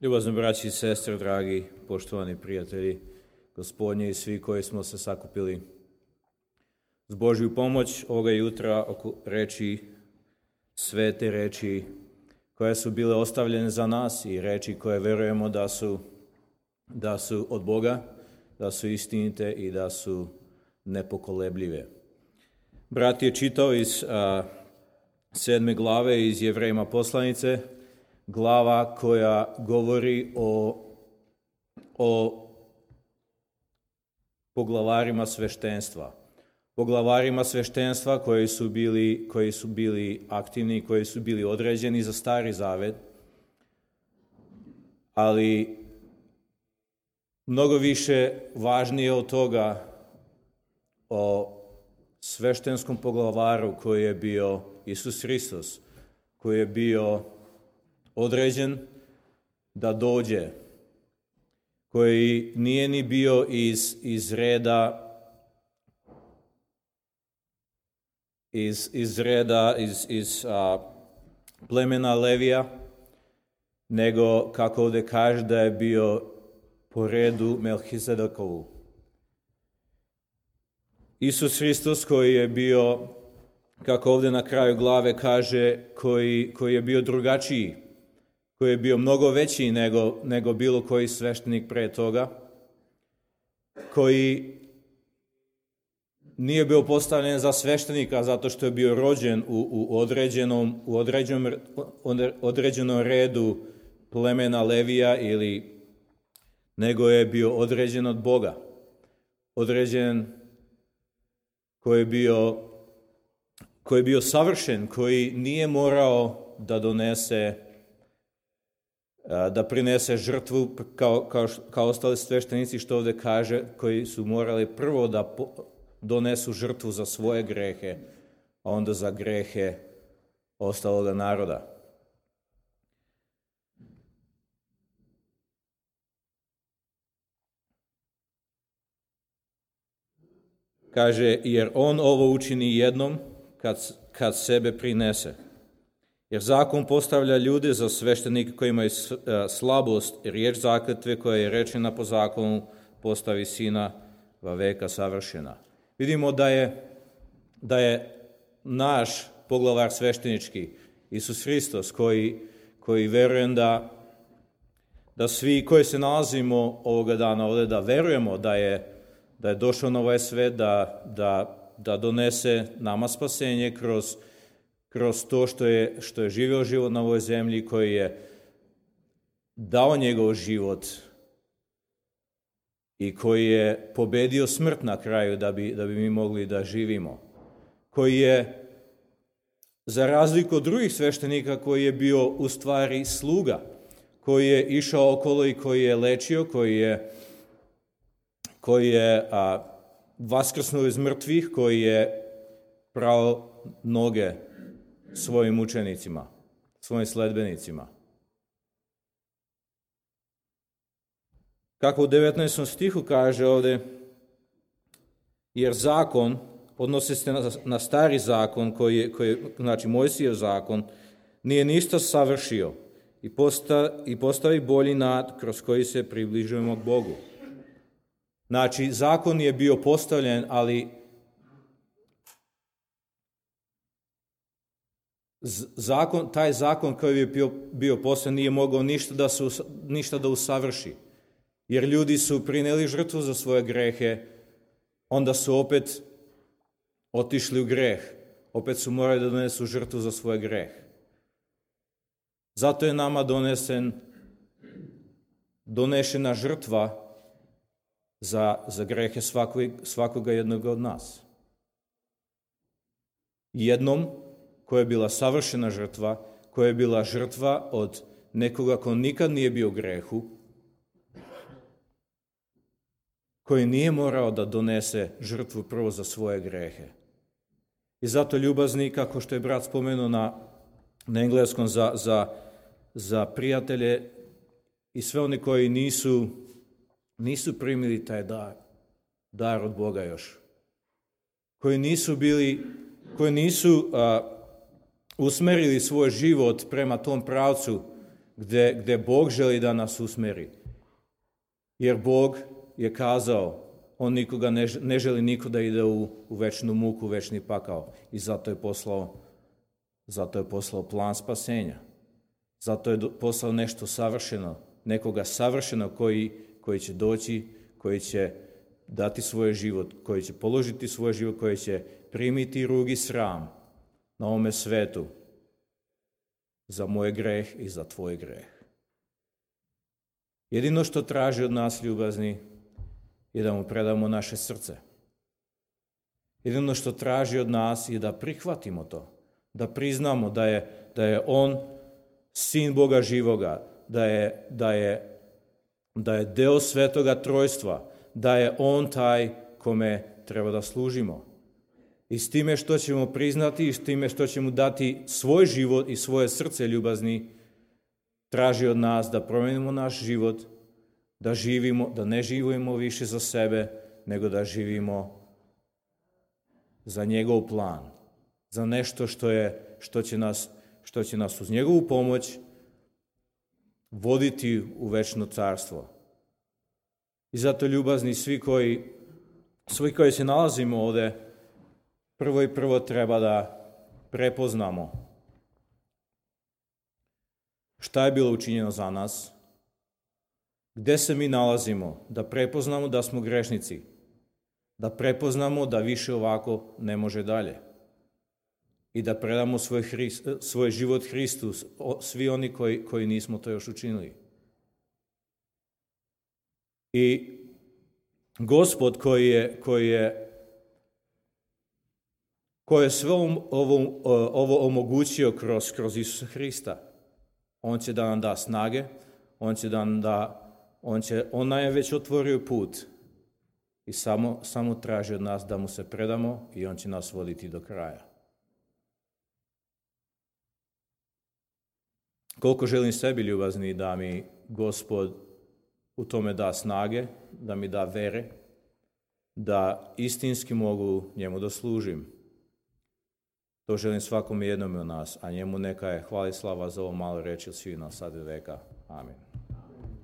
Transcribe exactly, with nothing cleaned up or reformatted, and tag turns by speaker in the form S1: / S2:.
S1: Ljubazni braći i sestre, dragi, poštovani prijatelji Gospodnji i svi koji smo se sakupili s Božju pomoć ovoga jutra oko reči, svete reči koje su bile ostavljene za nas i reči koje verujemo da su, da su od Boga, da su istinite i da su nepokolebljive. Brat je čitao iz a, sedme glave iz Jevrejima poslanice, glava koja govori o, o poglavarima sveštenstva. Poglavarima sveštenstva koji su bili, koji su bili aktivni, koji su bili određeni za Stari Zavet, ali mnogo više važnije od toga o sveštenskom poglavaru koji je bio Isus Hristos, koji je bio određen da dođe, koji nije ni bio iz, iz reda iz, iz reda iz, iz a, plemena Levija, nego kako ovdje kaže da je bio po redu Melhizedekovu. Isus Hristos koji je bio, kako ovdje na kraju glave kaže, koji, koji je bio drugačiji, koji je bio mnogo veći nego, nego bilo koji sveštenik pre toga, koji nije bio postavljen za sveštenika zato što je bio rođen u, u, određenom, u određenom, određenom redu plemena Levija, ili nego je bio određen od Boga. Određen koji je bio, koji je bio savršen, koji nije morao da donese da prinese žrtvu kao, kao, kao ostali sveštenici, što ovdje kaže, koji su morali prvo da po, donesu žrtvu za svoje grehe, a onda za grehe ostaloga naroda. Kaže, jer on ovo učini jednom kad, kad sebe prinese. Jer zakon postavlja ljude za sveštenike koji imaju slabost, riječ zakletve koja je rečena po zakonu postavi sina va veka savršena. Vidimo da je, da je naš poglavar sveštenički, Isus Hristos, koji, koji verujem da, da svi koji se nalazimo ovoga dana ovdje, da verujemo da je, da je došao na ovaj svet, da, da, da donese nama spasenje kroz kroz to što je, što je živio život na ovoj zemlji, koji je dao njegov život i koji je pobedio smrt na kraju da bi, da bi mi mogli da živimo. Koji je, za razliku od drugih sveštenika, koji je bio u stvari sluga, koji je išao okolo i koji je lečio, koji je, koji je a, vaskrsnuo iz mrtvih, koji je prao noge svojim učenicima, svojim sledbenicima. Kako u devetnaestom stihu kaže ovdje, jer zakon, odnosi se na, na stari zakon, koji je, koji, znači Mojsijev zakon, nije ništa savršio i, posta, i postavi bolji nad kroz koji se približujemo k Bogu. Znači, zakon je bio postavljen, ali Zakon, taj zakon koji je bio, bio posljednji nije mogao ništa da, su, ništa da usavrši. Jer ljudi su prineli žrtvu za svoje grehe, onda su opet otišli u greh. Opet su morali da donesu žrtvu za svoj greh. Zato je nama donesen, donešena žrtva za, za grehe svakog, svakoga jednog od nas. Jednom, koja je bila savršena žrtva, koja je bila žrtva od nekoga ko nikad nije bio u grehu, koji nije morao da donese žrtvu prvo za svoje grehe. I zato ljubazni, kako što je brat spomenuo na, na engleskom, za, za, za prijatelje i sve oni koji nisu, nisu primili taj dar, dar od Boga još, koji nisu bili, koji nisu a, usmerili svoj život prema tom pravcu gde, gde Bog želi da nas usmeri. Jer Bog je kazao, on nikoga ne, ne želi niko da ide u, u večnu muku, u večni pakao. I zato je poslao, zato je poslao plan spasenja. Zato je poslao nešto savršeno, nekoga savršeno koji, koji će doći, koji će dati svoj život, koji će položiti svoj život, koji će primiti rugi sram na ovome svetu za moj greh i za tvoj greh. Jedino što traži od nas, ljubazni, je da mu predamo naše srce. Jedino što traži od nas je da prihvatimo to, da priznamo da je, da je on sin Boga živoga, da je, da je, da je deo svetoga trojstva, da je on taj kome treba da služimo. I s time što ćemo priznati i s time što ćemo dati svoj život i svoje srce, ljubazni, traži od nas da promenimo naš život, da živimo, da ne živimo više za sebe, nego da živimo za njegov plan, za nešto što je, što će nas, što će nas uz njegovu pomoć voditi u večno carstvo. I zato, ljubazni, svi koji, svi koji se nalazimo ovde, prvo i prvo treba da prepoznamo šta je bilo učinjeno za nas, gde se mi nalazimo, da prepoznamo da smo grešnici, da prepoznamo da više ovako ne može dalje i da predamo svoj, Hrist, svoj život Hristu, svi oni koji, koji nismo to još učinili. I Gospod koji je, koji je, koji je sve ovo, ovo omogućio kroz, kroz Isusa Hrista, on će da nam da snage, on će da nam da, on će, on nam je već otvorio put i samo, samo traži od nas da mu se predamo i on će nas voditi do kraja. Koliko želim sebi, ljubazni, da mi Gospod u tome da snage, da mi da vere, da istinski mogu njemu da služim. To želim svakom jednom od nas, a njemu neka je hvala i slava za ovo malo reči od svih nas sad i veka. Amin.